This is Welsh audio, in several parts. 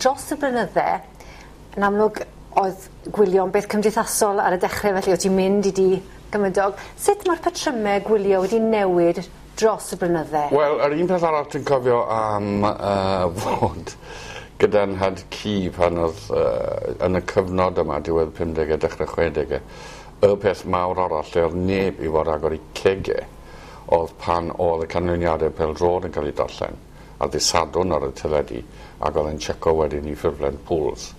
Dros y blynydde, yn amlwg oedd gwylio'n beth cymdeithasol ar y dechrau, felly o' ti'n mynd i dŷ gymydog. Sut ma'r patryme gwylio wedi newid dros y blynydde? Wel, yr un peth arall dwi'n cofio am fod gyda nhad cu pan o'dd yn y cyfnod yma, diwedd pumdege dechre chwedege, y peth mawr arall lle o'dd neb i fod agor 'u cege o'dd pan o'dd y canlyniade pêl-drod yn ca'l 'u darllen ar ddy' Sadwrn ar y teledu ag o'dd e'n checo wedyn 'i ffurflen pools.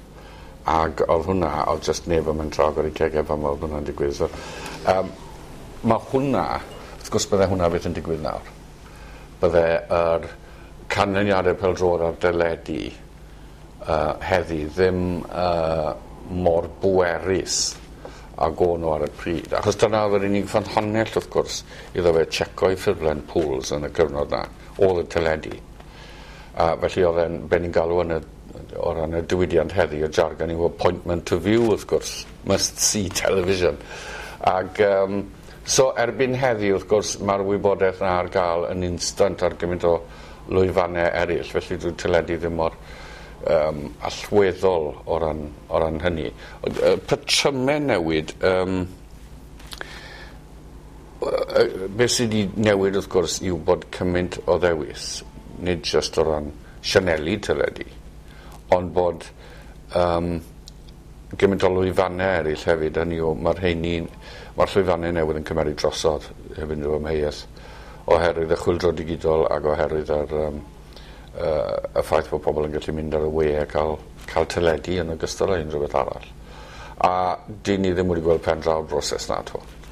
Ag o'dd hwnna o'dd jyst neb yn mentro agor 'u cege pan o'dd hwnna'n digwydd so ma' hwnna wrth gwrs bydde hwnna fyth yn digwydd nawr. Bydde yr canlyniade pêl-drod ar deledu heddi ddim mor bwerus ag o'n n'w ar y pryd achos dyna o'dd yr unig ffynhonnell wrth gwrs iddo fe checo'i ffurflen pools yn y cyfnod 'na o'dd y teledu. A felly o'dd e'n be' ni'n galw yn y o ran y diwydiant heddi y jargon yw appointment to view wrth gwrs must see television. Ag so erbyn heddi wrth gwrs ma'r wybodeth 'na ar ga'l yn instant ar gymaint o lwyfanne eryll felly dyw'r teledu ddim mor allweddol o ran hynny. Ond patryme newid beth sy 'di newid wrth gwrs yw bod cymaint o ddewis nid jyst o ran sianeli teledu ond bod gymaint o lwyfanne eryll hefyd hynny yw ma'r rheini'n ma'r llwyfanne newydd yn cymeru drosodd heb unrhyw amheuaeth oherwydd y chwyldro digidol ag oherwydd yr y ffaith bod pobol yn gallu mynd ar y we a ca'l teledu yn ogystal â unrhyw beth arall. A 'dyn ni ddim wedi gweld pen draw'r broses 'na 'to.